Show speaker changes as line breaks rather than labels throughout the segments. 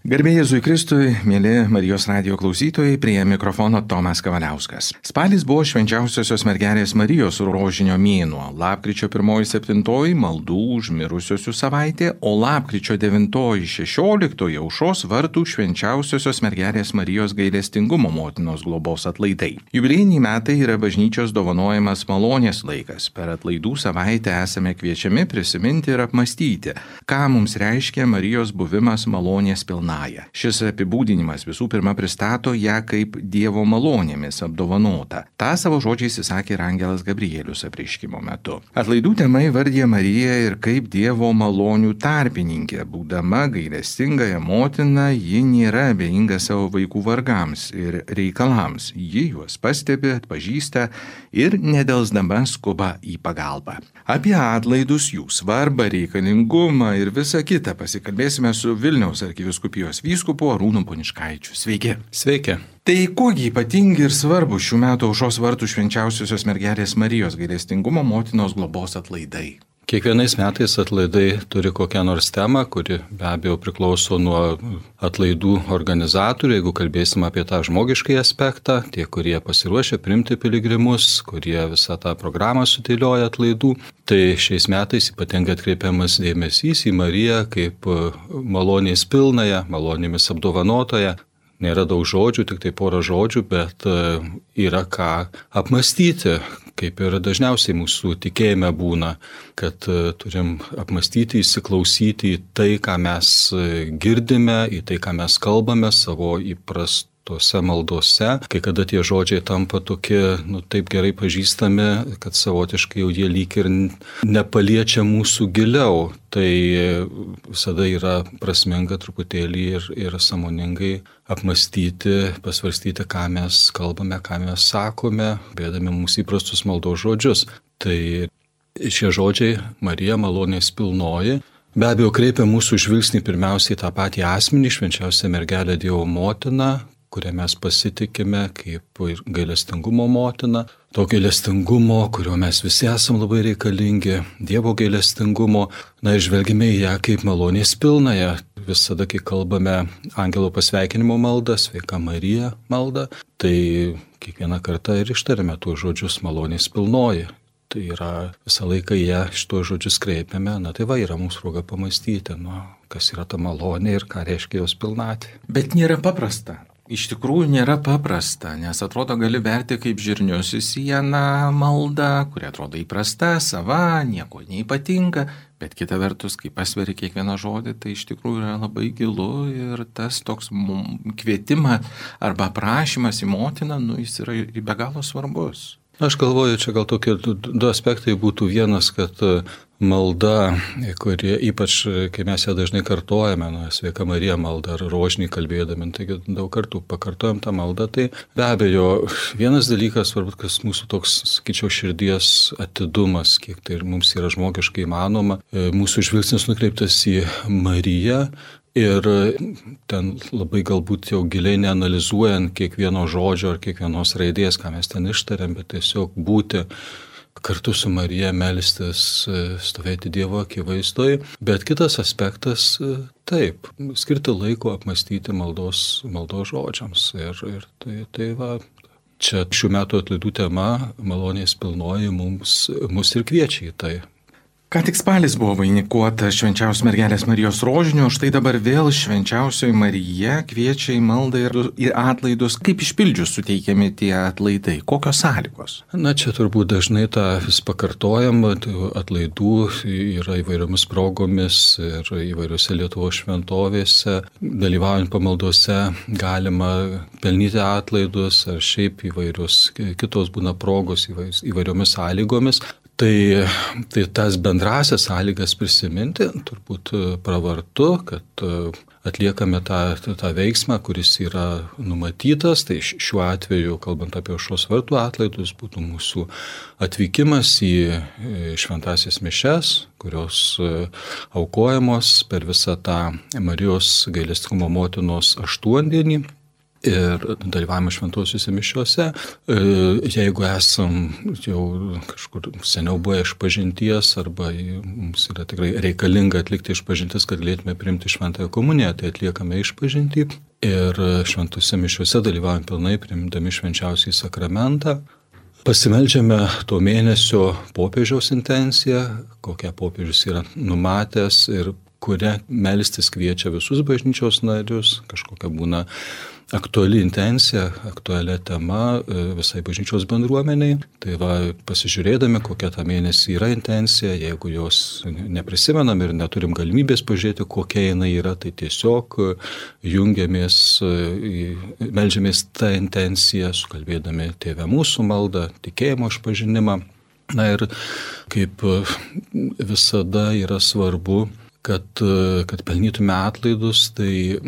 Garbė Jėzui Kristui, mėly Marijos radijo klausytojai, prie mikrofono Tomas Kavaliauskas. Spalis buvo švenčiausiosios mergelės Marijos rožinio mėnuo, lapkričio 1-7 maldų už mirusiosius savaitė, o lapkričio 9-16 aušros vartų švenčiausiosios mergelės Marijos gailestingumo motinos globos atlaidai. Jubiliejiniai metai yra bažnyčios dovanojamas malonės laikas. Per atlaidų savaitę esame kviečiami prisiminti ir apmastyti, ką mums reiškia Marijos buvimas malonės pilna. Šis apibūdinimas visų pirma pristato ją kaip Dievo malonėmis apdovanota. Ta savo žodžiais įsakė ir angelas Gabrielius apreiškimo metu. Atlaidų tema įvardija Mariją ir kaip Dievo malonių tarpininkė. Būdama gailestingąją motiną, ji nėra abejinga savo vaikų vargams ir reikalams. Ji juos pastebi, atpažįsta ir nedelsdama skuba į pagalbą. Apie atlaidus, jų svarbą, reikalingumą ir visą kitą pasikalbėsime su Vilniaus arkivyskupijos vyskupu Arūnu Poniškaičiu. Sveiki.
Sveiki.
Tai kuogi ypatingi ir svarbu šių metų aušros vartų švenčiausiosios mergelės Marijos gailestingumo motinos globos atlaidai?
Kiekvienais metais atlaidai turi kokią nors temą, kuri be abejo priklauso nuo atlaidų organizatorių. Jeigu kalbėsim apie tą žmogiškai aspektą, tie, kurie pasiruošia priimti piligrimus, kurie visą tą programą sudėlioja atlaidų, tai šiais metais ypatingai atkreipiamas dėmesys į Mariją kaip malonės pilnąją, malonėmis apdovanotoją. Nėra daug žodžių, tik tai porą žodžių, bet yra ką apmastyti, kaip ir dažniausiai mūsų tikėjime būna, kad turim apmastyti, įsiklausyti į tai, ką mes girdime, į tai, ką mes kalbame savo įprastose maldose, kai kada tie žodžiai tampa tokie, taip gerai pažįstami, kad savotiškai jau jie lyg ir nepaliečia mūsų giliau. Tai visada yra prasminga truputėlį ir sąmoningai apmastyti, pasvarstyti, ką mes kalbame, ką mes sakome, bėdami mūsų įprastus maldos žodžius. Tai šie žodžiai Marija malonės pilnoji be abejo kreipia mūsų žvilgsnį pirmiausiai tą patį asmenį, švenčiausią mergelę Dievo motiną, kurią mes pasitikime kaip gailestingumo motina, to gailestingumo, kurio mes visi esam labai reikalingi, Dievo gailestingumo, ir žvelgime į ją kaip malonės pilnąją. Visada, kai kalbame angelo pasveikinimo maldą, sveika Marija maldą, tai kiekvieną kartą ir ištarime tuos žodžius malonės pilnoji. Tai yra visą laiką ją šitos žodžius kreipiame, tai yra mūsų proga pamastyti, kas yra ta malonė ir ką reiškia jos pilnatvė.
Bet nėra paprasta. Iš tikrųjų nėra paprasta, nes atrodo gali verti kaip žirnius į sieną maldą, kuri atrodo įprasta, sava, nieko neypatinga, bet kita vertus, kai pasveri kiekvieną žodį, tai iš tikrųjų yra labai gilu ir tas toks kvietimas arba prašymas į motiną, jis yra be galo svarbus.
Aš galvoju, čia gal tokie du aspektai būtų. Vienas, kad malda, kurie ypač, kai mes ją dažnai kartojame, sveika Marija malda ar rožinį kalbėdami, taigi daug kartų pakartojam tą maldą, tai be abejo, vienas dalykas, svarbu, kas mūsų toks, sakyčiau, širdies atidumas, kiek tai mums yra žmogiškai įmanoma, mūsų žvilgsnis nukreiptas į Mariją. Ir ten labai galbūt jau giliai neanalizuojant kiekvieno žodžio ar kiekvienos raidės, ką mes ten ištariam, bet tiesiog būti kartu su Marija, melstis, stovėti Dievo akivaizdoje. Bet kitas aspektas, taip, skirti laiko apmastyti maldos žodžiams. Ir tai va, čia šių metų atlaidų tema malonės pilnoji mus ir kviečia į tai.
Ką tik spalis buvo vainikuota švenčiausios mergelės Marijos rožiniu, štai dabar vėl švenčiausioji Marija kviečia į maldą ir atlaidus. Kaip išpildžius suteikiami tie atlaidai? Kokios sąlygos?
Čia turbūt dažnai tą vis pakartojam, atlaidų yra įvairiomis progomis ir įvairiose Lietuvos šventovėse. Dalyvaujant pamaldose galima pelnyti atlaidus ar šiaip įvairios kitos būna progos įvairiomis sąlygomis. Tai tas bendrasias sąlygas prisiminti turbūt pravartu, kad atliekame tą veiksmą, kuris yra numatytas. Tai šiuo atveju, kalbant apie aušros vartų atlaidus, būtų mūsų atvykimas į šventąsias mišias, kurios aukojamos per visą tą Marijos gailestingumo motinos aštuondienį. ir dalyvavimą šventosiuose mišiuose. Jeigu esam jau kažkur seniau buvę išpažinties arba mums yra tikrai reikalinga atlikti išpažintis, kad galėtume priimti šventąją komuniją, tai atliekame išpažintį ir šventose mišiuose dalyvaujam pilnai, priimdami švenčiausiąjį sakramentą. Pasimeldžiame to mėnesio popiežiaus intenciją, kokią popiežius yra numatęs ir kurią melstis kviečia visus bažnyčios narius, kažkokia būna aktuali intencija, aktualia tema visai bažnyčios bendruomeniai. Tai va, pasižiūrėdami, kokia tą mėnesį yra intencija, jeigu jos neprisimenam ir neturim galimybės pažiūrėti, kokia jinai yra, tai tiesiog jungiamės, meldžiamės tą intenciją, sukalbėdami Tėve mūsų maldą, tikėjimo išpažinimą. Na ir kaip visada yra svarbu, kad pelnytume atlaidus, tai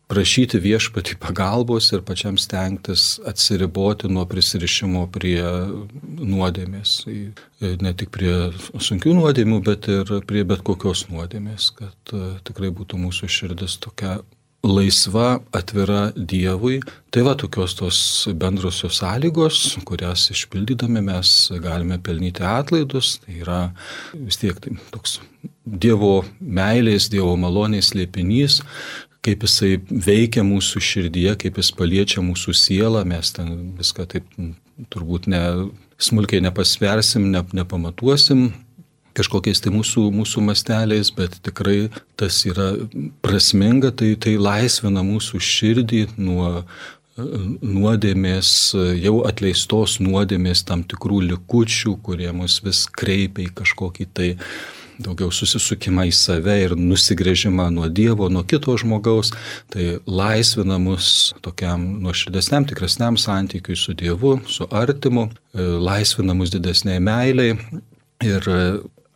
prašyti viešpatį pagalbos ir pačiam stengtis atsiriboti nuo prisirišimo prie nuodėmės. Ne tik prie sunkių nuodėmių, bet ir prie bet kokios nuodėmės, kad tikrai būtų mūsų širdis tokia laisva, atvira Dievui. Tai va, tokios tos bendrosios sąlygos, kurias išpildydami mes galime pelnyti atlaidus. Tai yra vis tiek tai toks Dievo meilės, Dievo malonės slėpinys, kaip jisai veikia mūsų širdyje, kaip jis paliečia mūsų sielą, mes ten viską taip turbūt smulkiai nepasversim, nepamatuosim kažkokiais tai mūsų masteliais, bet tikrai tas yra prasminga, tai laisvina mūsų širdį nuo nuodėmės, jau atleistos nuodėmės tam tikrų likučių, kurie mus vis kreipia į kažkokį tai daugiau susisukimą į save ir nusigręžimą nuo Dievo, nuo kito žmogaus, tai laisvina mus tokiam nuoširdesniam, tikresniam santykiui su Dievu, su artimu, laisvina mus didesniai meiliai ir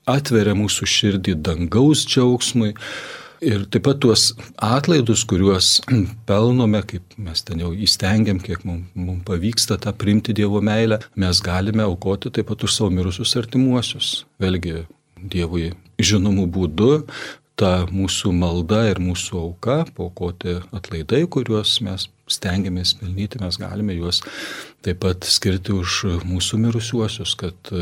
atveria mūsų širdį dangaus džiaugsmui. Ir taip pat tuos atlaidus, kuriuos pelnome, kaip mes ten jau įstengiam, kiek mums pavyksta tą priimti Dievo meilę, mes galime aukoti taip pat už savo mirusius artimuosius. Vėlgi, Dievui žinomų būdų, ta mūsų malda ir mūsų auka, paaukoti atlaidai, kuriuos mes stengiamės pelnyti, mes galime juos taip pat skirti už mūsų mirusiuosius, kad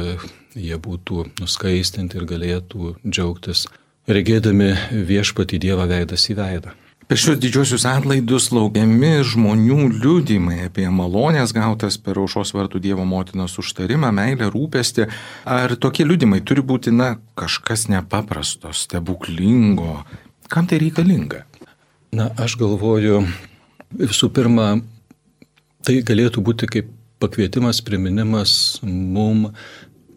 jie būtų nuskaistinti ir galėtų džiaugtis, regėdami viešpatį Dievą veidas į veidą.
Per šios didžiosius atlaidus laukiami žmonių liudijimai apie malonės gautas per Aušros vartų Dievo motinos užtarimą, meilę, rūpestį. Ar tokie liudijimai turi būti, kažkas nepaprasto, stebuklingo? Kam tai reikalinga?
Aš galvoju, visų pirma, tai galėtų būti kaip pakvietimas, priminimas mum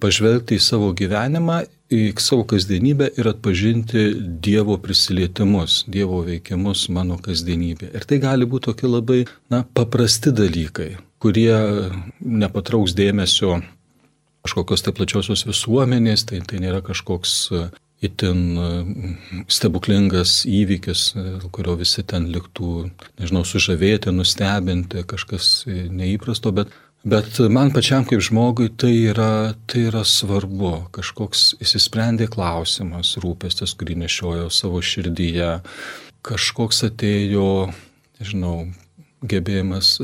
pažvelgti į savo gyvenimą, į savo kasdienybę ir atpažinti Dievo prisilietimus, Dievo veikimus mano kasdienybė. Ir tai gali būti tokie labai paprasti dalykai, kurie nepatrauks dėmesio kažkokios tai plačiosios visuomenės, tai nėra kažkoks itin stebuklingas įvykis, kurio visi ten liktų, sužavėti, nustebinti, kažkas neįprasto, Bet man pačiam kaip žmogui tai yra svarbu, kažkoks įsisprendė klausimas, rūpestis, kurį nešiojo savo širdyje, kažkoks atėjo, gebėjimas,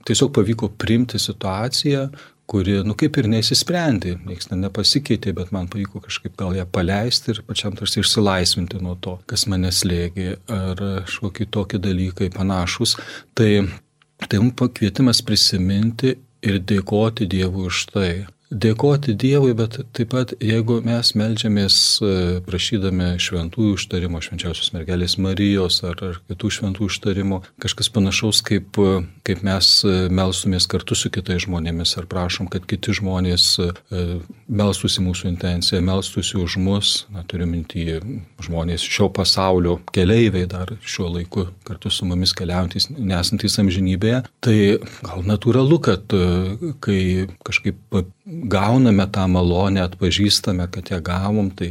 tiesiog pavyko priimti situaciją, kuri, kaip ir neįsisprendė, niekas nepasikeitė, bet man pavyko kažkaip gal ją paleisti ir pačiam tarsi išsilaisvinti nuo to, kas mane slėgė, ar kažkokie tokie dalykai panašus. Tai mums pakvietimas prisiminti ir dėkoti Dievui už tai. Dėkoti Dievui, bet taip pat, jeigu mes meldžiamės prašydami šventųjų užtarimo, švenčiausios mergelės Marijos ar kitų šventų užtarimo, kažkas panašaus, kaip mes melstumės kartu su kitais žmonėmis ar prašom, kad kiti žmonės melstųsi mūsų intenciją, melstųsi už mus, turiu minty žmonės šio pasaulio keleiviai dar šiuo laiku kartu su mumis keliaujantys, nesantys amžinybėje, tai gal natūralu, kad kai kažkaip gauname tą malonę, atpažįstame, kad ją gavom, tai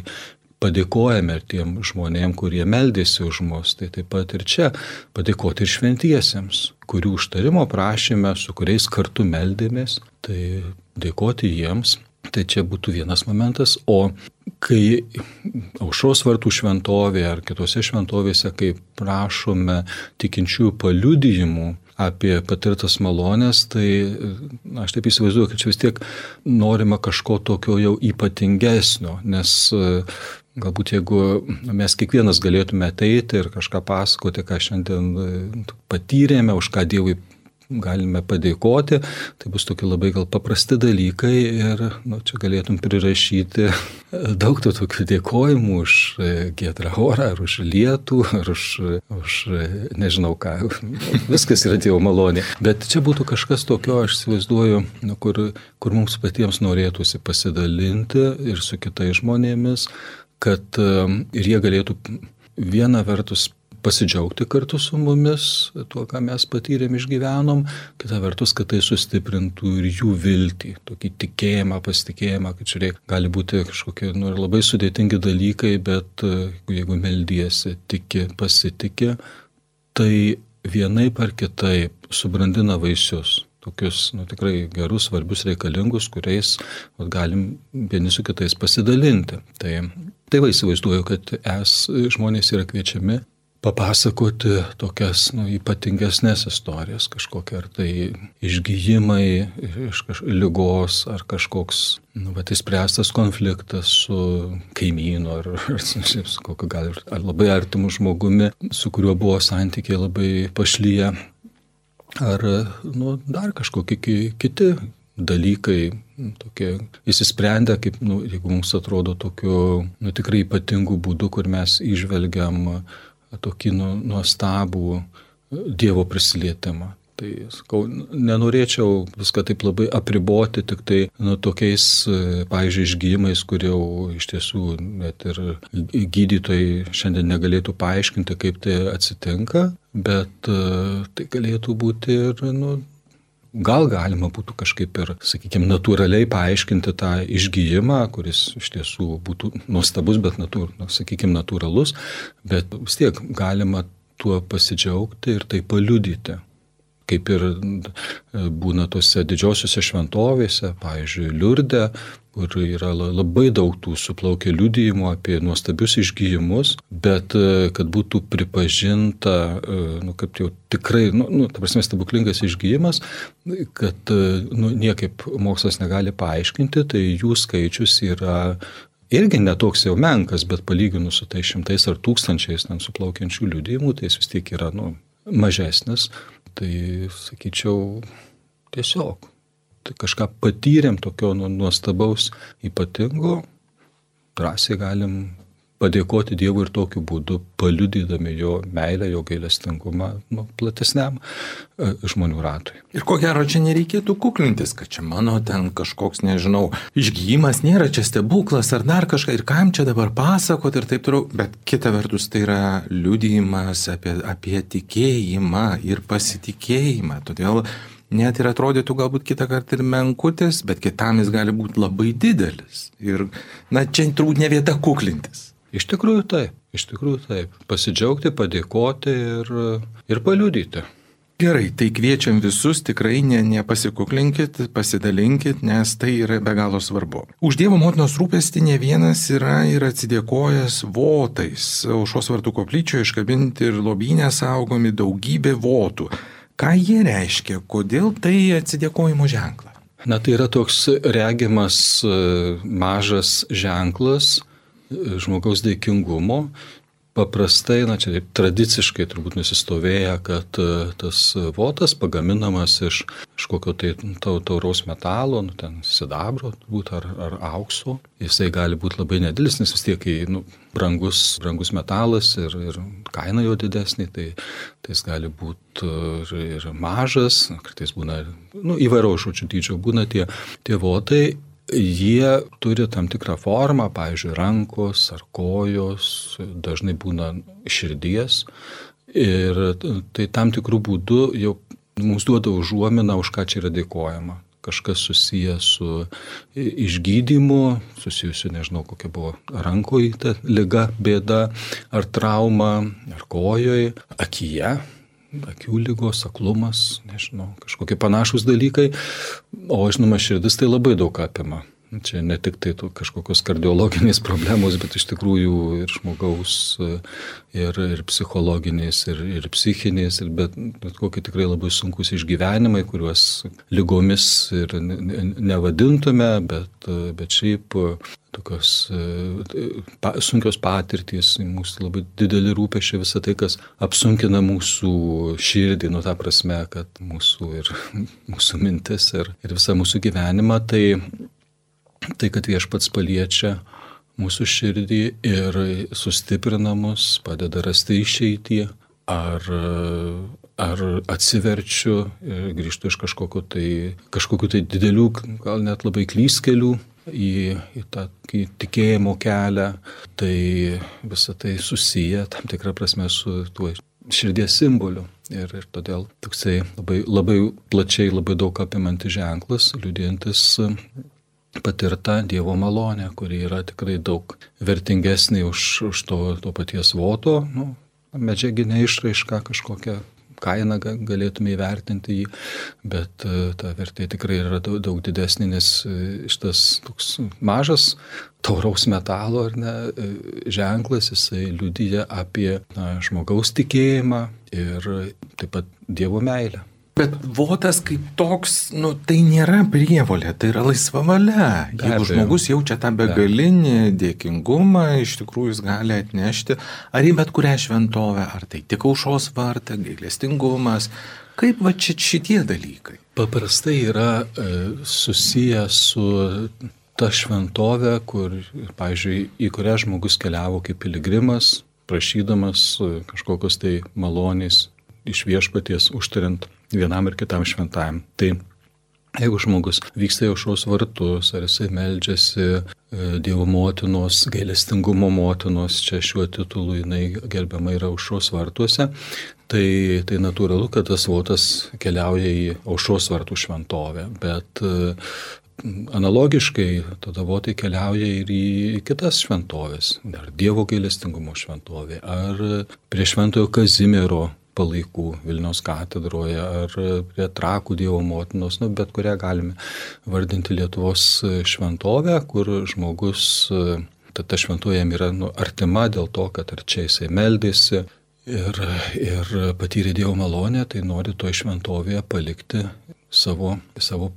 padėkojame ir tiem žmonėm, kurie meldėsi už mus. Tai taip pat ir čia padėkoti ir šventiesiems, kurių užtarimo prašėme, su kuriais kartu meldėmės, tai dėkoti jiems. Tai čia būtų vienas momentas. O kai Aušros vartų šventovėje ar kitose šventovėse, kai prašome tikinčiųjų paliudijimų, apie patirtas malonės, tai aš taip įsivaizduoju, kad čia vis tiek norima kažko tokio jau ypatingesnio, nes galbūt jeigu mes kiekvienas galėtume ateiti ir kažką pasakoti, ką šiandien patyrėme, už ką Dievui galime padėkoti, tai bus tokie labai gal paprasti dalykai ir čia galėtum prirašyti daug tų tokių dėkojimų už giedrą orą, ar už lietų, ar už nežinau ką, viskas yra Dievo malonė. Bet čia būtų kažkas tokio, aš įsivaizduoju, kur mums patiems norėtųsi pasidalinti ir su kitais žmonėmis, kad ir jie galėtų viena vertus pasidžiaugti kartu su mumis tuo, ką mes patyrėm, išgyvenom, kita vertus, kad tai sustiprintų ir jų viltį, tokį tikėjimą, pasitikėjimą, kad žiūrėk, gali būti kažkokie labai sudėtingi dalykai, bet jeigu meldiesi, tiki, pasitiki, tai vienaip ar kitaip subrandina vaisius. Tokius tikrai gerus, svarbius, reikalingus, kuriais galim vieni su kitais pasidalinti. Tai įsivaizduoju, kad žmonės yra kviečiami papasakoti tokias ypatingesnės istorijas, kažkokie ar tai išgijimai iš ligos, ar kažkoks išspręstas konfliktas su kaimynu, ar labai artimu žmogumi, su kuriuo buvo santykiai labai pašlyję, ar dar kažkokie kiti dalykai, tokie įsisprendę, kaip jeigu mums atrodo tokiu tikrai ypatingu būdu, kur mes įžvelgiam tokį nuostabų Dievo prisilietimą. Tai, sakau, nenorėčiau viską taip labai apriboti tik tai tokiais, pavyzdžiui, išgijimais, kurie jau iš tiesų net ir gydytojai šiandien negalėtų paaiškinti, kaip tai atsitinka, bet tai galėtų būti ir, gal galima būtų kažkaip ir, sakykime, natūraliai paaiškinti tą išgijimą, kuris iš tiesų būtų nuostabus, bet natūralus, bet vis tiek galima tuo pasidžiaugti ir tai paliudyti. Kaip ir būna tose didžiosiuose šventovėse, pavyzdžiui, Liurde, kur yra labai daug tų suplaukę liudijimų apie nuostabius išgijimus, bet kad būtų pripažinta, kaip jau tikrai, ta prasme, stebuklingas išgijimas, kad niekaip mokslas negali paaiškinti, tai jų skaičius yra irgi netoks jau menkas, bet palyginus su tai šimtais ar tūkstančiais suplaukiančių liudijimų, tai jis vis tiek yra mažesnis. Tai, sakyčiau, tiesiog. Tai kažką patyrėm tokio nuostabaus, ypatingo, drąsiai galim padėkoti Dievui ir tokiu būdu, paliudydami jo meilę, jo gailestingumą platesniam žmonių ratui.
Ir ko gero, čia nereikėtų kuklintis, kad čia mano ten kažkoks, nežinau, išgijimas nėra čia stebuklas ar dar kažką, ir kam čia dabar pasakoti ir taip toliau. Bet kita vertus, tai yra liudijimas apie tikėjimą ir pasitikėjimą. Todėl net ir atrodytų galbūt kitą kartą ir menkutis, bet kitam jis gali būti labai didelis. Ir, čia turbūt ne vieta kuklintis.
Iš tikrųjų taip. Pasidžiaugti, padėkoti ir paliudyti.
Gerai, tai kviečiam visus, tikrai nepasikuklinkit, pasidalinkit, nes tai yra be galo svarbu. Už Dievo motinos rūpestį ne vienas yra ir atsidėkojęs votais. Aušros vartų koplyčioje iškabinti ir lobyne saugomi daugybė votų. Ką jie reiškia? Kodėl tai atsidėkojimo ženklas?
Tai yra toks regimas mažas ženklas žmogaus dėkingumo. Paprastai, čia tradiciškai turbūt nusistovėję, kad tas votas pagaminamas iš kokio tai tauraus metalo, ten sidabro turbūt ar aukso. Jisai gali būti labai nedidelis, nes vis tiek brangus metalas ir kaina jo didesnė, tai jis gali būti ir mažas, kartais būna įvairaus žodžių dydžio būna tie votai. Jie turi tam tikrą formą, pavyzdžiui, rankos ar kojos, dažnai būna širdies ir tai tam tikrų būdų jau mums duoda užuominą, už ką čia yra dėkojama. Kažkas susijęs su išgydymu, susijusiu, nežinau, kokia buvo rankoje ta liga, bėda, ar trauma, ar kojoje, akyje. Akių lygos, aklumas, nežinau, kažkokie panašūs dalykai, o žinoma, širdis tai labai daug apima. Čia ne tik tai kažkokios kardiologinės problemos, bet iš tikrųjų ir žmogaus, ir psichologinės, ir psichinės, bet kokie tikrai labai sunkus išgyvenimai, kuriuos ligomis ir nevadintume, bet šiaip tokios sunkios patirtys, mūsų labai dideli rūpesčiai, visą tai, kas apsunkina mūsų širdį, ta prasme, kad mūsų mintis ir visą mūsų gyvenimą, tai kad Viešpats paliečia mūsų širdį ir sustiprina mus, padeda rasti išeitį, ar atsiverčiu ir grįžtu iš kažkokių tai didelių, gal net labai klystkelių į tą tikėjimo kelią, tai visą tai susiję tam tikrą prasme su tuo širdies simboliu. Ir todėl toksai labai plačiai, labai daug apimantis ženklas, liudijantis patirta Dievo malonė, kuri yra tikrai daug vertingesnė už to paties voto, medžiaginę išraišką, kažkokią kainą galėtume įvertinti jį, bet ta vertė tikrai yra daug didesnė, nes šitas toks mažas tauraus metalo ženklas, jisai liudija apie žmogaus tikėjimą ir taip pat Dievo meilę.
Bet votas kaip toks, tai nėra prievolė, tai yra laisva valia. Jeigu žmogus jaučia tą begalinį dėkingumą, iš tikrųjų jis gali atnešti ar į bet kurią šventovę, ar tai tik aušros vartą, gailestingumas. Kaip šitie dalykai?
Paprastai yra susiję su ta šventovė, pavyzdžiui, į kurią žmogus keliavo kaip piligrimas, prašydamas kažkokios tai malonės iš Viešpaties užtariant vienam ir kitam šventajam. Tai jeigu žmogus vyksta į aušros vartus, ar jisai meldžiasi Dievo motinos, gailestingumo motinos, čia šiuo titulu jinai gerbiama yra aušros vartuose, tai natūralu, kad tas votas keliauja į aušros vartų šventovę, bet analogiškai tada votai keliauja ir į kitas šventovės, ar Dievo gailestingumo šventovė, ar prie Šventojo Kazimiero palaikų Vilniaus katedroje, ar prie Trakų Dievo motinos, bet kurią galime vardinti Lietuvos šventovę, kur žmogus, ta šventovė jam yra artima dėl to, kad ar čia jisai meldėsi ir patyrė Dievo malonę, tai nori toje šventovėje palikti savo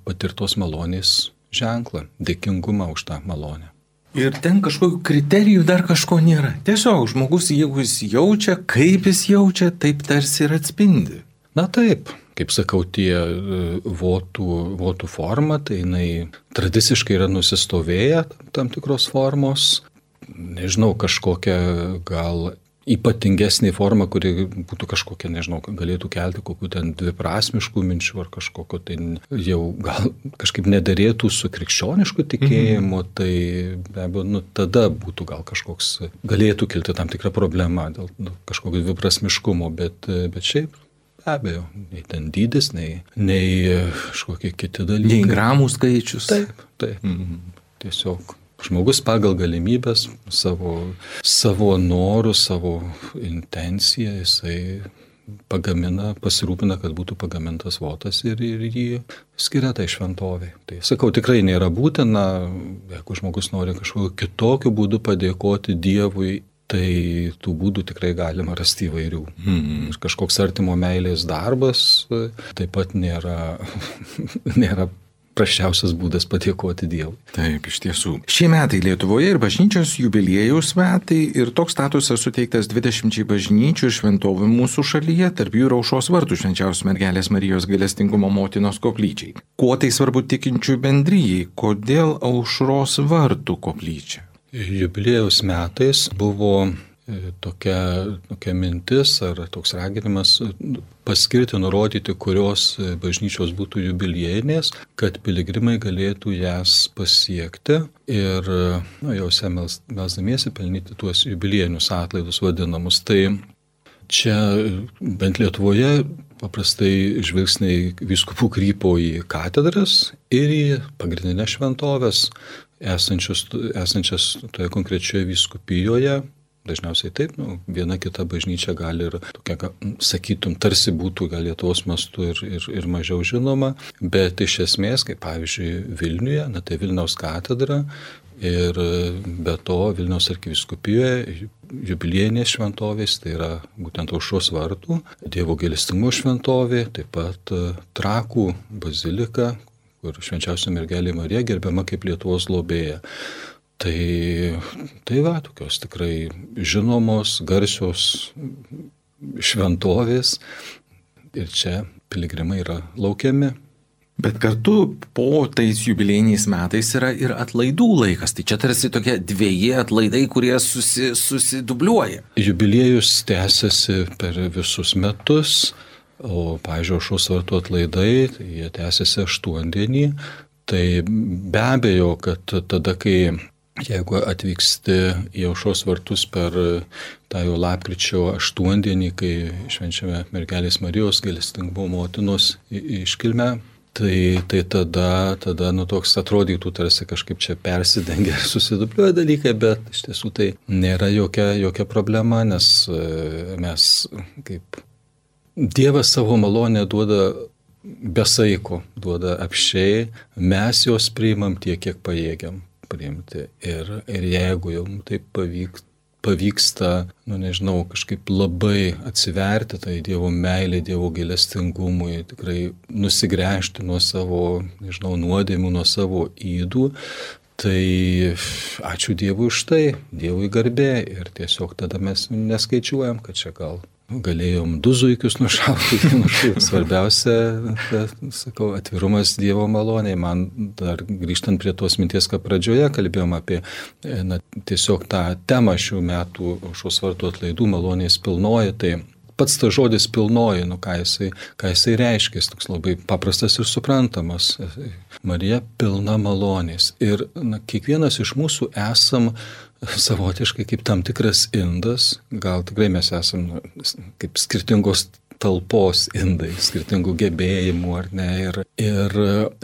patirtos malonės ženklą, dėkingumą už tą malonę.
Ir ten kažkokių kriterijų dar kažko nėra. Tiesiog žmogus, jeigu jis jaučia, kaip jis jaučia, taip tarsi ir atspindi.
Na taip, kaip sakau, tie votų forma, tai jinai tradiciškai yra nusistovėję tam tikros formos. Nežinau, kažkokia gal ypatingesnė forma, kuri būtų kažkokia, nežinau, galėtų kelti kokių ten dviprasmiškų minčių ar kažkokio tai jau gal kažkaip nedarėtų su krikščionišku tikėjimu, tai be abejo, tada būtų gal galėtų kilti tam tikrą problemą dėl kažkokio dviprasmiškumo, bet šiaip be abejo, nei ten dydis, nei kažkokie kiti dalykai.
Nei gramų skaičius.
Taip. Tiesiog žmogus pagal galimybės, savo norų, savo intenciją, jisai pasirūpina, kad būtų pagamintas votas ir jį skiria tai šventovei. Tai sakau, tikrai nėra būtina, jeigu žmogus nori kažkokiu kitokiu būdu padėkoti Dievui, tai tų būdų tikrai galima rasti įvairių. Ir kažkoks artimo meilės darbas taip pat nėra prasčiausias būdas padėkoti Dievui.
Taip, iš tiesų. Šie metai Lietuvoje ir bažnyčios jubiliejaus metai ir toks statusas suteiktas 20 bažnyčių ir šventovių mūsų šalyje, tarp jų ir aušros vartų Švenčiausios Mergelės Marijos gailestingumo motinos koplyčiai. Kuo tai svarbu tikinčių bendrijai? Kodėl aušros vartų koplyčia?
Jubiliejaus metais buvo tokia mintis ar toks raginimas paskirti, nurodyti, kurios bažnyčios būtų jubiliejinės, kad piligrimai galėtų jas pasiekti ir jose melsdamiesi pelnyti tuos jubiliejinius atlaidus vadinamus. Tai čia bent Lietuvoje paprastai žvilgsniai vyskupų krypo į katedras ir į pagrindinės šventovės esančias toje konkrečioje vyskupijoje, dažniausiai taip, viena kita bažnyčia gali ir tokia, sakytum, tarsi būtų gal Lietuvos mastu ir mažiau žinoma, bet iš esmės, kaip pavyzdžiui Vilniuje, tai Vilniaus katedra ir be to Vilniaus arkivyskupijoje jubiliejinės šventovės, tai yra būtent Aušros vartų, Dievo gailestingumo šventovė, taip pat Trakų bazilika, kur švenčiausia mergelė Marija gerbiama kaip Lietuvos globėja. Tai va, tokios tikrai žinomos, garsios šventovės ir čia piligrimai yra laukiami.
Bet kartu po tais jubiliejiniais metais yra ir atlaidų laikas. Tai čia tarsi tokie dvieji atlaidai, kurie susidubliuoja.
Jubiliejus tęsiasi per visus metus, o, pavyzdžiui, Aušros vartų atlaidai, tai jie tęsiasi 8 dienį. Tai be abejo, kad tada, jeigu atvyksti į Aušros vartus per tą jau lapkričio 8 dienį, kai švenčiame mergelės Marijos gailestingumo motinos iškilmę, tai tada toks atrodytų tarsi kažkaip čia persidengia, susidubliuoja dalykai, bet iš tiesų tai nėra jokia problema, nes mes kaip Dievas savo malonę duoda be saiko, duoda apsčiai, mes jos priimam tiek, kiek pajėgiam priimti. Ir jeigu jau taip pavyksta, kažkaip labai atsiverti tai Dievo meilė, Dievo gailestingumui, tikrai nusigręžti nuo savo, nuodėmių, nuo savo ydų, tai ačiū Dievui už tai, Dievui garbė ir tiesiog tada mes neskaičiuojam, kad čia gal galėjom 2 zuikius nušauti. Svarbiausia, sakau, atvirumas Dievo maloniai. Man dar grįžtant prie tos minties, ką pradžioje kalbėjom apie tiesiog tą temą šių metų Aušros vartų atlaidų malonės pilnoji, tai pats tas žodis pilnoji, ką jisai reiškia, jis toks labai paprastas ir suprantamas. Marija pilna malonės. Ir kiekvienas iš mūsų esam savotiškai kaip tam tikras indas, gal tikrai mes esam kaip skirtingos talpos indai, skirtingų gebėjimų, ar ne, ir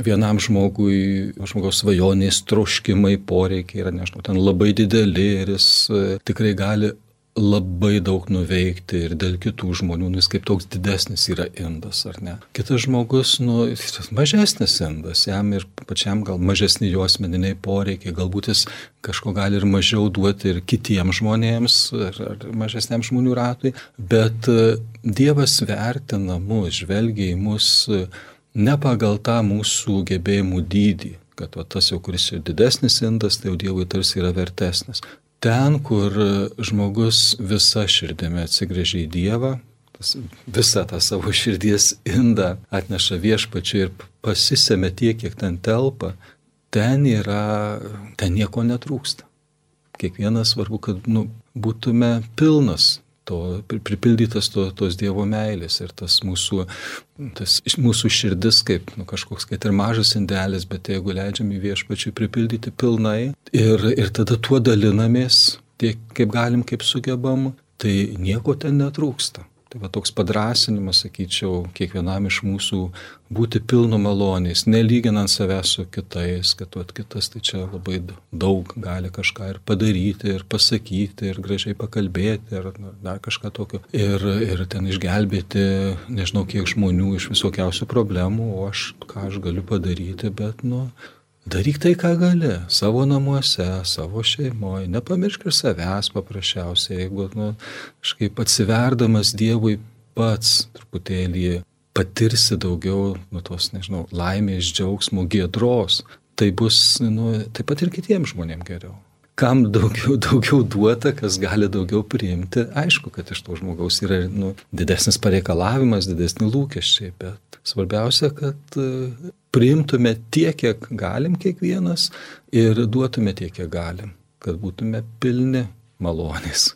vienam žmogaus svajonės, troškimai, poreikiai yra, ten labai dideli ir jis tikrai gali labai daug nuveikti ir dėl kitų žmonių, jis kaip toks didesnis yra indas, ar ne. Kitas žmogus, mažesnis indas, jam ir pačiam gal mažesni jo asmeniniai poreikiai, galbūt jis kažko gali ir mažiau duoti ir kitiems žmonėms, ar mažesniam žmonių ratui, bet Dievas vertina mus, žvelgia į mus ne pagal tą mūsų gebėjimų dydį, kad tas jau, kuris yra didesnis indas, tai jau Dievui tarsi yra vertesnis. Ten, kur žmogus visa širdimi atsigręžia į Dievą, visą tą savo širdies indą atneša Viešpačiui ir pasisemia tiek, kiek ten telpa, ten nieko netrūksta. Kiekvienas svarbu, kad būtume pilnas, pripildytas tos Dievo meilės ir tas mūsų širdis kaip kažkoks, kad ir mažas indelis, bet jeigu leidžiam į Viešpačiui pripildyti pilnai ir tada tuo dalinamės tiek kaip galim, kaip sugebam, tai nieko ten netrūksta. Tai va toks padrąsinimas, sakyčiau, kiekvienam iš mūsų būti pilnu malonės, nelyginant savęs su kitais, kad kitas tai čia labai daug gali kažką ir padaryti, ir pasakyti, ir gražiai pakalbėti, ir dar kažką tokio. Ir ten išgelbėti, nežinau kiek žmonių iš visokiausių problemų, o ką aš galiu padaryti, bet daryk tai, ką gali, savo namuose, savo šeimoje, nepamiršk ir savęs paprasčiausiai, jeigu kažkaip atsiverdamas Dievui pats truputėlį patirsi daugiau tos, laimės, džiaugsmo, giedros, tai bus taip pat ir kitiems žmonėms geriau. Kam daugiau duota, kas gali daugiau priimti, aišku, kad iš to žmogaus yra didesnis pareikalavimas, didesni lūkesčiai, bet svarbiausia, kad priimtume tiek, kiek galim kiekvienas ir duotume tiek, kiek galim, kad būtume pilni malonės.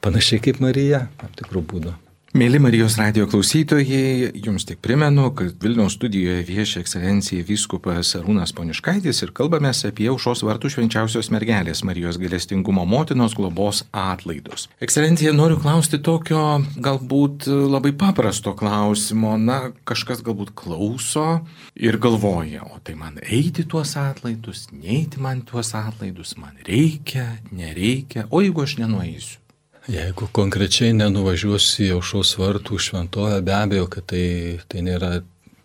Panašiai kaip Marija, tam tikrų būdų.
Mėly Marijos radijo klausytojai, jums tik primenu, kad Vilniaus studijoje vieši ekscelencija vyskupas Arūnas Poniškaitis ir kalbamės apie Aušros vartų švenčiausios mergelės Marijos gailestingumo motinos globos atlaidus. Ekscelencija, noriu klausti tokio galbūt labai paprasto klausimo. Kažkas galbūt klauso ir galvoja, o tai man eiti tuos atlaidus, neiti man tuos atlaidus, man reikia, nereikia, o jeigu aš nenueisiu?
Jeigu konkrečiai nenuvažiuosiu į Aušros vartų šventovę, be abejo, kad tai nėra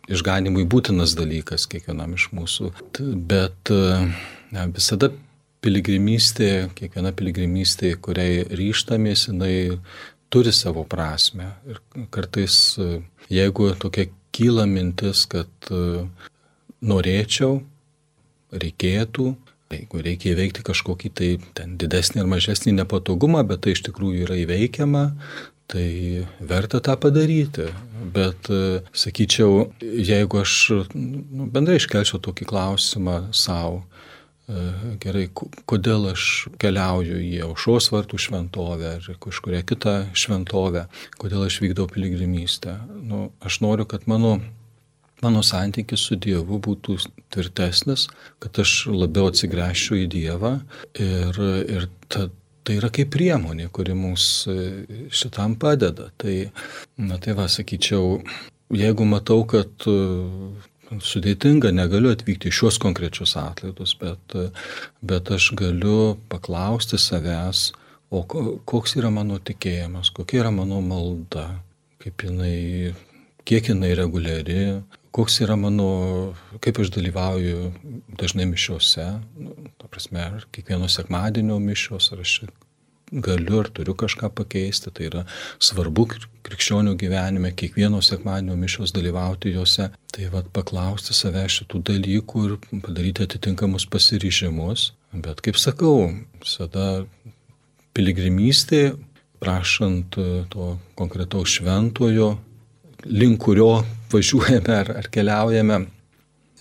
išganimui būtinas dalykas kiekvienam iš mūsų. Bet visada kiekviena piligrimystė, kuriai ryžtamės, jinai turi savo prasme. Ir kartais, jeigu tokia kyla mintis, kad norėčiau, reikėtų, jeigu reikia įveikti kažkokį tai ten didesnį ar mažesnį nepatogumą, bet tai iš tikrųjų yra įveikiama, tai verta tą padaryti. Bet, sakyčiau, jeigu aš bendrai iškelčiau tokį klausimą savo, gerai, kodėl aš keliauju į Aušros vartų šventovę ar kažkurią kitą šventovę, kodėl aš vykdau piligrimystę. Aš noriu, kad mano santykis su Dievu būtų tvirtesnis, kad aš labiau atsigręžčiau į Dievą ir tai yra kaip priemonė, kuri mums šitam padeda. Tai sakyčiau, jeigu matau, kad sudėtinga, negaliu atvykti į šios konkrečius atlaidus, bet aš galiu paklausti savęs, o koks yra mano tikėjimas, kokia yra mano malda, kiek jinai reguliari, koks yra kaip aš dalyvauju dažnai mišiose, ta prasme, ar kiekvieno sekmadienio mišios, ar aš galiu ar turiu kažką pakeisti, tai yra svarbu krikščionių gyvenime, kiekvieno sekmadienio mišios dalyvauti juose, tai paklausti savęs šitų dalykų ir padaryti atitinkamus pasiryžimus, bet kaip sakau, visada piligrimystė, prašant to konkretaus šventojo, link kurio važiuojame ar keliaujame,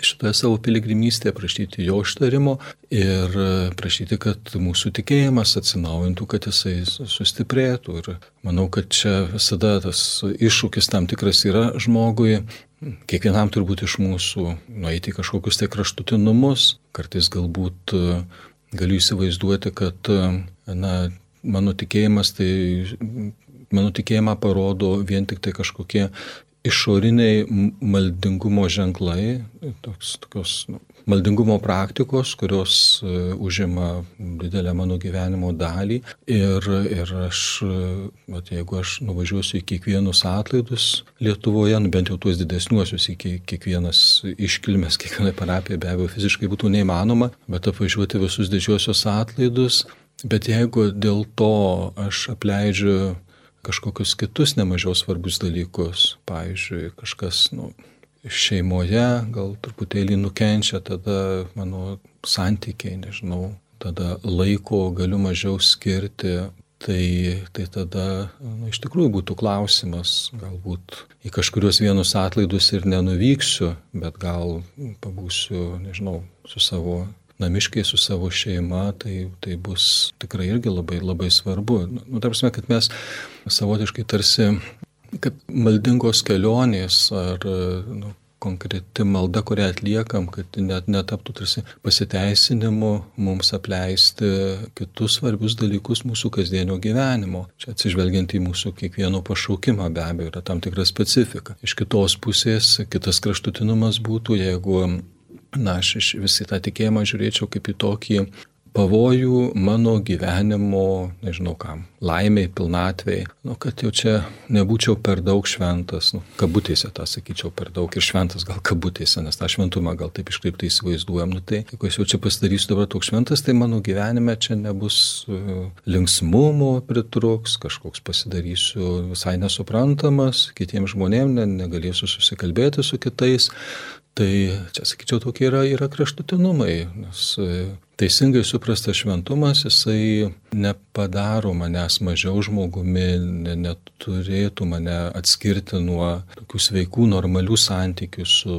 šitoje savo piligrimystėje prašyti jo ištarimo ir prašyti, kad mūsų tikėjimas atsinaujintų, kad jisai sustiprėtų. Ir manau, kad čia visada tas iššūkis tam tikras yra žmogui, kiekvienam turbūt iš mūsų nueiti kažkokius tai kraštutinumus, kartais galbūt galiu įsivaizduoti, kad mano tikėjimą parodo vien tik tai kažkokie išoriniai maldingumo ženklai, tokios maldingumo praktikos, kurios užima didelę mano gyvenimo dalį. Ir aš, jeigu aš nuvažiuosiu į kiekvienus atlaidus Lietuvoje, bent jau tuos didesniuosius, į kiekvienas iškilmes, kiekvienai parapijai be abejo fiziškai būtų neįmanoma, bet apvažiuoti visus didžiosius atlaidus. Bet jeigu dėl to aš apleidžiu kažkokius kitus nemažiau svarbius dalykus, pavyzdžiui, kažkas šeimoje gal truputėlį nukenčia, tada mano santykiai, tada laiko galiu mažiau skirti, tai tada iš tikrųjų būtų klausimas, galbūt į kažkurios vienus atlaidus ir nenuvyksiu, bet gal pabūsiu, su savo namiškai, su savo šeima, tai bus tikrai irgi labai, labai svarbu. Ta prasme, kad mes savotiškai tarsi, kad maldingos kelionės ar konkreti malda, kurią atliekam, kad net netaptų tarsi pasiteisinimu mums apleisti kitus svarbius dalykus mūsų kasdienio gyvenimo. Čia atsižvelgiant į mūsų kiekvieno pašaukimą, be abejo, yra tam tikra specifika. Iš kitos pusės, kitas kraštutinumas būtų, jeigu aš visi tą tikėjimą žiūrėčiau kaip į tokį pavojų mano gyvenimo, laimiai, pilnatvei, kad jau čia nebūčiau per daug šventas, kabutėse tą sakyčiau per daug ir šventas gal kabutėse, nes tą šventumą gal taip iškreiptai įsivaizduojam, tai jeigu aš jau čia pasidarysiu dabar toks šventas, tai mano gyvenime čia nebus linksmumo pritruks, kažkoks pasidarysiu visai nesuprantamas, kitiems žmonėms negalėsiu susikalbėti su kitais. Tai čia, sakyčiau, tokie yra kraštutinumai, nes teisingai suprastas šventumas, jisai nepadaro manęs mažiau žmogumi, neturėtų mane atskirti nuo tokių sveikų, normalių santykių su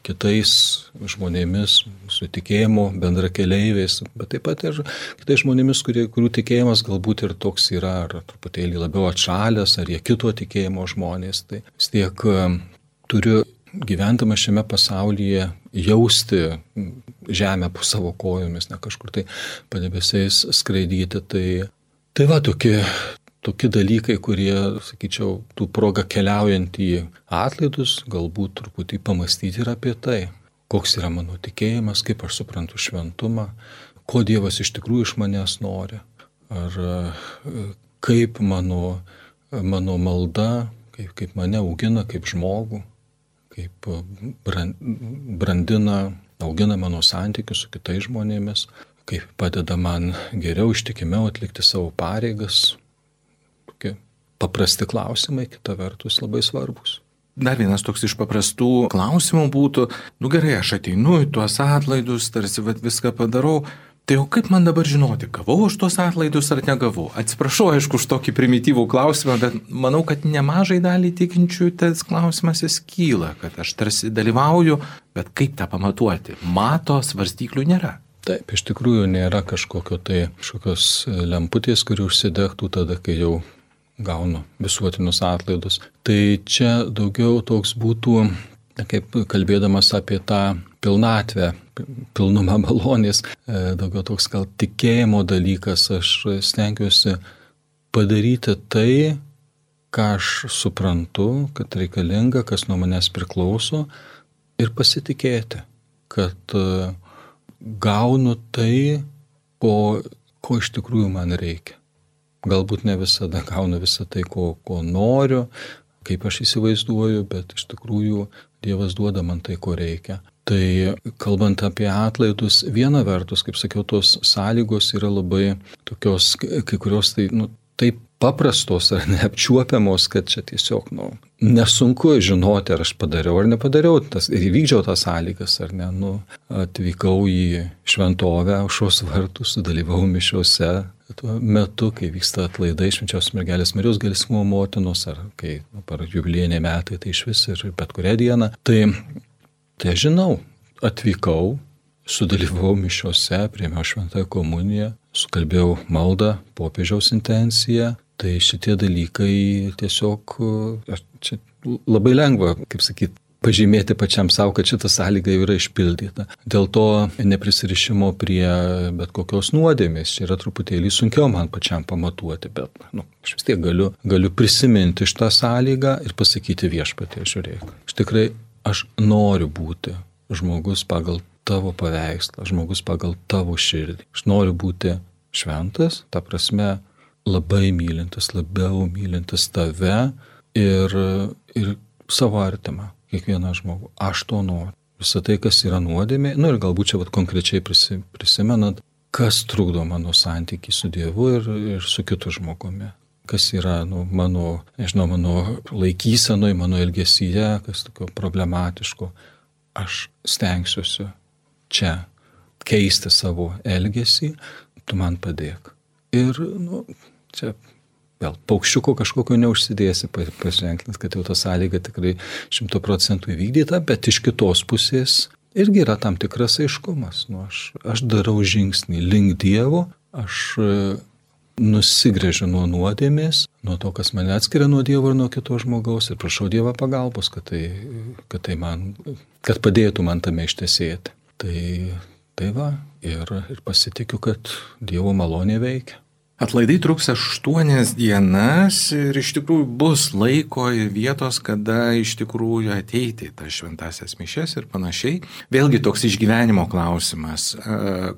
kitais žmonėmis, su tikėjimo bendrakeleiviais, bet taip pat ir kitais žmonėmis, kurių tikėjimas galbūt ir toks yra, ar truputėlį labiau atšalęs, ar jie kito tikėjimo žmonės. Tai vis tiek turiu gyvendama šiame pasaulyje jausti žemę po savo kojomis, ne kažkur tai padebesiais skraidyti. Tai tokie dalykai, kurie, sakyčiau, tų proga keliaujant į atlaidus, galbūt truputį pamastyti ir apie tai, koks yra mano tikėjimas, kaip aš suprantu šventumą, ko Dievas iš tikrųjų iš manęs nori, ar kaip mano malda, kaip mane augina kaip žmogų, kaip brandina, augina mano santykius su kitais žmonėmis, kaip padeda man geriau, ištikimiau atlikti savo pareigas. Tokie paprasti klausimai, kita vertus labai svarbus.
Dar vienas toks iš paprastų klausimų būtų, gerai, aš ateinu į tuos atlaidus, tarsi viską padarau, tai jau kaip man dabar žinoti, gavau aš tuos atlaidus ar negavau? Atsiprašau, aišku, už tokį primityvų klausimą, bet manau, kad nemažai dalį tikinčių tas klausimas jis kyla, kad aš tarsi dalyvauju, bet kaip tą pamatuoti? Mato, svarstyklių nėra.
Taip, iš tikrųjų nėra kažkokios lemputės, kuri užsidegtų tada, kai jau gaunu visuotinius atlaidus. Tai čia daugiau toks būtų, kaip kalbėdamas apie tą pilnatvę, pilnumą malonės, daugiau toks gal tikėjimo dalykas, aš stengiuosi padaryti tai, ką aš suprantu, kad reikalinga, kas nuo manęs priklauso, ir pasitikėti, kad gaunu tai, ko iš tikrųjų man reikia. Galbūt ne visada gaunu visą tai, ko noriu, kaip aš įsivaizduoju, bet iš tikrųjų Dievas duoda man tai, ko reikia. Tai kalbant apie atlaidus, viena vertus, kaip sakiau, tos sąlygos yra labai tokios, kai kurios taip paprastos ar neapčiuopiamos, kad čia tiesiog nesunku žinoti, ar aš padariau ar nepadariau, ir įvykdžiau tas sąlygas, ar ne. Atvykau į šventovę, aušros vartus, sudalyvau mišiose tuo metu, kai vyksta atlaidai Švenčiausios Mergelės Marijos Gailestingumo motinos, ar kai par jubiliejiniai metai, tai iš vis ir bet kurią dieną. Tai žinau, atvykau, sudalyvau mišiose, priėmiau šventąją komuniją, sukalbėjau maldą, popiežiaus intenciją. Tai šitie dalykai tiesiog, čia labai lengva, kaip sakyti, pažymėti pačiam savo, kad šita sąlyga yra išpildyta. Dėl to neprisirišimo prie bet kokios nuodėmės, čia yra truputėlį sunkiau man pačiam pamatuoti, bet aš vis tiek galiu prisiminti šitą sąlygą ir pasakyti Viešpatie, žiūrėk. Aš noriu būti žmogus pagal tavo paveikslą, žmogus pagal tavo širdį. Aš noriu būti šventas, ta prasme, labai mylintis, labiau mylintis tave ir savo artimą, kiekvieną žmogų. Aš to noriu. Visą tai, kas yra nuodėmė, ir galbūt čia konkrečiai prisimenant, kas trukdo mano santykį su Dievu ir su kitu žmogumi. Kas yra mano laikysenoj, mano elgesyje, kas tokio problematiško. Aš stengsiuosi čia keisti savo elgesį, tu man padėk. Ir, čia vėl paukščiuko kažkokio neužsidėsi paženklins, kad jau ta sąlyga tikrai 100% įvykdyta, bet iš kitos pusės irgi yra tam tikras aiškumas. Aš darau žingsnį link Dievo, aš nusigręžiu nuo nuodėmės, nuo to, kas mane atskiria nuo Dievo ir nuo kito žmogaus ir prašau Dievą pagalbos, kad padėtų man tame ištesėti. Tai va, ir pasitikiu, kad Dievo malonė veikia.
Atlaidai truks 8 dienas ir iš tikrųjų bus laiko ir vietos, kada iš tikrųjų ateiti į tas šventasias mišias ir panašiai. Vėlgi toks išgyvenimo klausimas.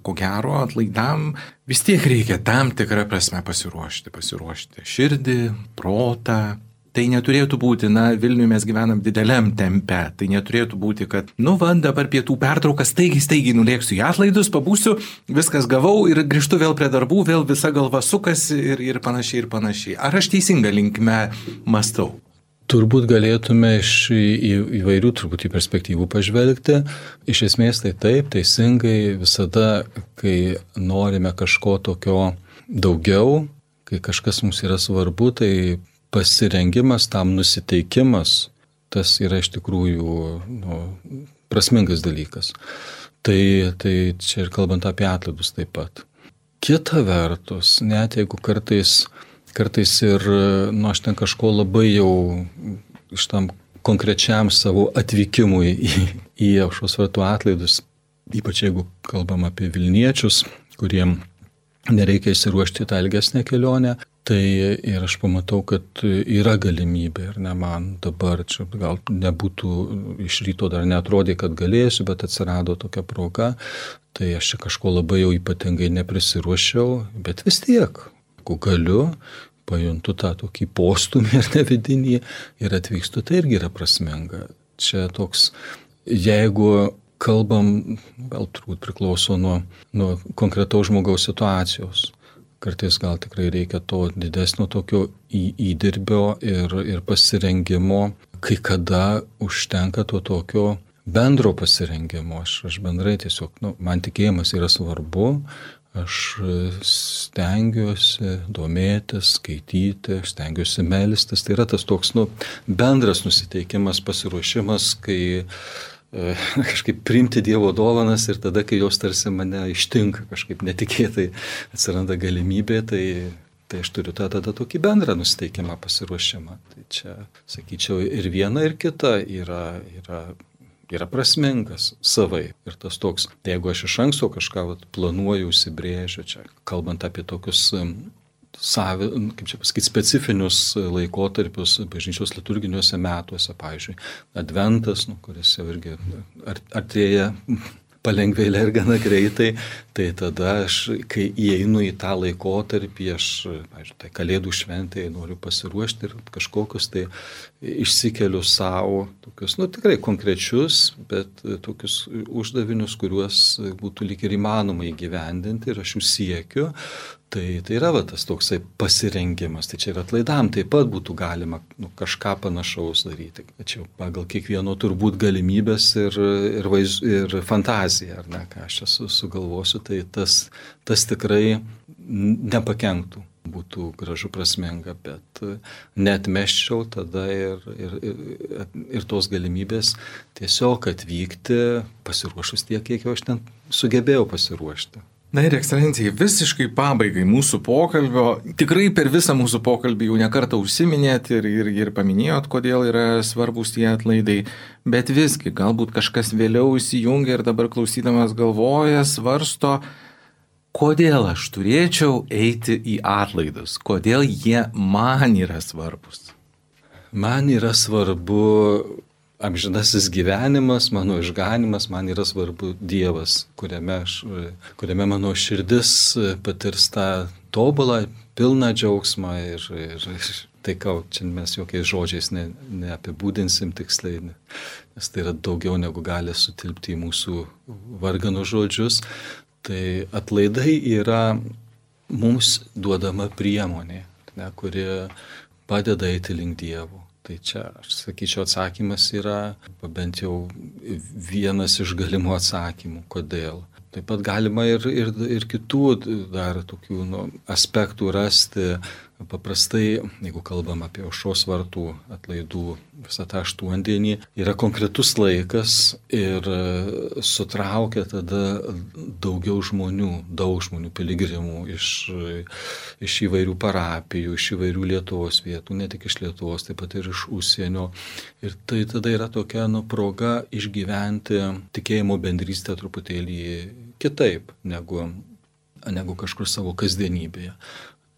Ko gero atlaidam vis tiek reikia tam tikrą prasme pasiruošti širdį, protą. Tai neturėtų būti, Vilniuje mes gyvenam dideliam tempe, tai neturėtų būti, kad, dabar pietų pertraukas, staigiai nulėksiu į atlaidus, pabūsiu, viskas gavau ir grįžtu vėl prie darbų, vėl visa galva sukasi ir panašiai. Ar aš teisinga linkme mąstau?
Turbūt galėtume iš įvairių truputį perspektyvų pažvelgti. Iš esmės tai taip, teisingai visada, kai norime kažko tokio daugiau, kai kažkas mums yra svarbu, tai pasirengimas, tam nusiteikimas, tas yra iš tikrųjų prasmingas dalykas. Tai čia ir kalbant apie atlaidus taip pat. Kita vertus, net jeigu kartais ir, aš ten kažko labai jau iš tam konkrečiam savo atvykimui į Aušros vartų atlaidus, ypač jeigu kalbam apie Vilniečius, kuriem nereikia įsiruošti tą ilgesnę kelionę, tai ir aš pamatau, kad yra galimybė ir ne man dabar, čia gal nebūtų iš ryto dar neatrodė, kad galėsiu, bet atsirado tokia proga, tai aš čia kažko labai jau ypatingai neprisiruošiau, bet vis tiek, jeigu galiu, pajuntu tą tokį postumį ir nevidinį ir atvykstu, tai irgi yra prasminga. Čia toks, jeigu kalbam, gal turbūt priklauso nuo konkretaus žmogaus situacijos. Kartais gal tikrai reikia to didesnio tokio įdirbio ir pasirengimo, kai kada užtenka to tokio bendro pasirengimo. Aš bendrai tiesiog, man tikėjimas yra svarbu, aš stengiuosi domėtis, skaityti, stengiuosi melstis. Tai yra tas toks bendras nusiteikimas, pasiruošimas, kai kažkaip priimti Dievo dovanas ir tada, kai jos tarsi mane ištinka, kažkaip netikėtai atsiranda galimybė, tai aš turiu tada tokį bendrą nusiteikimą, pasiruošimą. Tai čia, sakyčiau, ir viena, ir kita yra prasmingas savai. Ir tas toks, jeigu aš iš anksto kažką planuoju, užsibrėžiu, čia kalbant apie tokius specifinius laikotarpius bažnyčios liturginiuose metuose, pavyzdžiui, Adventas, kuris jau irgi artėja palengvėlė ir gana greitai, tai tada aš, kai įeinu į tą laikotarpį, pavyzdžiui, tai Kalėdų šventėje noriu pasiruošti ir kažkokius tai išsikeliu savo, tokius, tikrai konkrečius, bet tokius uždavinius, kuriuos būtų lyg ir įmanoma įgyvendinti ir aš jų siekiu. Tai yra tas toksai pasirengimas, tai čia ir atlaidam taip pat būtų galima kažką panašaus daryti. Tačiau pagal kiekvieno turbūt galimybės ir fantaziją, ar ne, ką aš čia sugalvosiu, tai tas tikrai nepakenktų, būtų gražu, prasminga, bet neatmesčiau tada ir tos galimybės tiesiog atvykti pasiruošus tiek, kiek aš ten sugebėjau pasiruošti.
Na ir ekscelencija, visiškai pabaigai mūsų pokalbio, tikrai per visą mūsų pokalbį jau nekartą užsiminėt ir paminėjot, kodėl yra svarbus tie atlaidai, bet visgi galbūt kažkas vėliau įsijungia ir dabar klausydamas galvoja, svarsto, kodėl aš turėčiau eiti į atlaidus, kodėl jie man yra svarbus.
Man yra svarbu amžinasis gyvenimas, mano išganimas, man yra svarbu Dievas, kuriame mano širdis patirs tą tobulą, pilną džiaugsmą ir tai, čia mes jokiais žodžiais neapibūdinsim tiksliai, nes tai yra daugiau negu gali sutilpti į mūsų varganų žodžius. Tai atlaidai yra mums duodama priemonė, kuri padeda eiti link Dievo. Tai čia, aš sakyčiau, atsakymas yra bent jau vienas iš galimų atsakymų, kodėl. Taip pat galima ir kitų dar tokių aspektų rasti. Paprastai, jeigu kalbam apie Aušros vartų atlaidų visą tą aštuondienį, yra konkretus laikas ir sutraukia tada daug žmonių piligrimų iš įvairių parapijų, iš įvairių Lietuvos vietų, ne tik iš Lietuvos, taip pat ir iš užsienio. Ir tai tada yra tokia proga išgyventi tikėjimo bendrystę truputėlį kitaip negu kažkur savo kasdienybėje.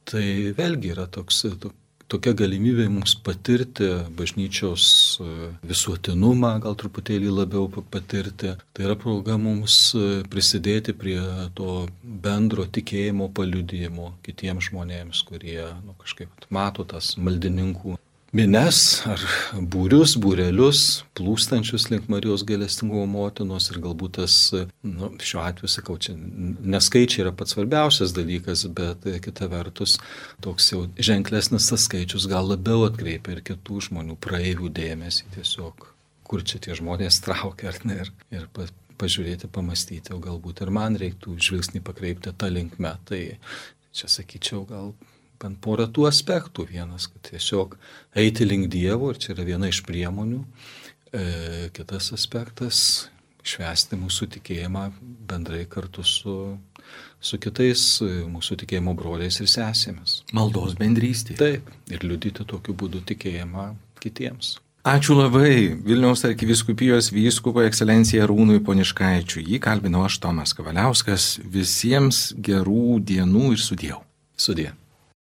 Tai vėlgi yra tokia galimybė mums patirti bažnyčios visuotinumą, gal truputėlį labiau patirti. Tai yra proga mums prisidėti prie to bendro tikėjimo paliudijimo kitiems žmonėms, kurie kažkaip mato tas maldininkų mines ar būrelius, plūstančius link Marijos gailestingumo motinos ir galbūt tas, šiuo atveju sakau, čia neskaičiai yra pats svarbiausias dalykas, bet kita vertus toks jau ženklesnis tas skaičius gal labiau atkreipia ir kitų žmonių praeivių dėmesį tiesiog, kur čia tie žmonės traukia ar ne, ir pažiūrėti, pamastyti, o galbūt ir man reiktų žvilgsnį pakreipti tą linkmę. Tai čia sakyčiau gal bent porą tų aspektų. Vienas, kad tiesiog eiti link Dievo, ir čia yra viena iš priemonių. Kitas aspektas - švęsti mūsų tikėjimą bendrai kartu su kitais mūsų tikėjimo broliais ir sesėmis.
Maldos bendrystė.
Taip, ir liudyti tokiu būdu tikėjimą kitiems.
Ačiū labai Vilniaus arkivyskupijos vyskupui ekscelencijai Arūnui Poniškaičiui. Jį kalbinau aš, Tomas Kavaliauskas. Visiems gerų dienų ir sudieu.
Sudie.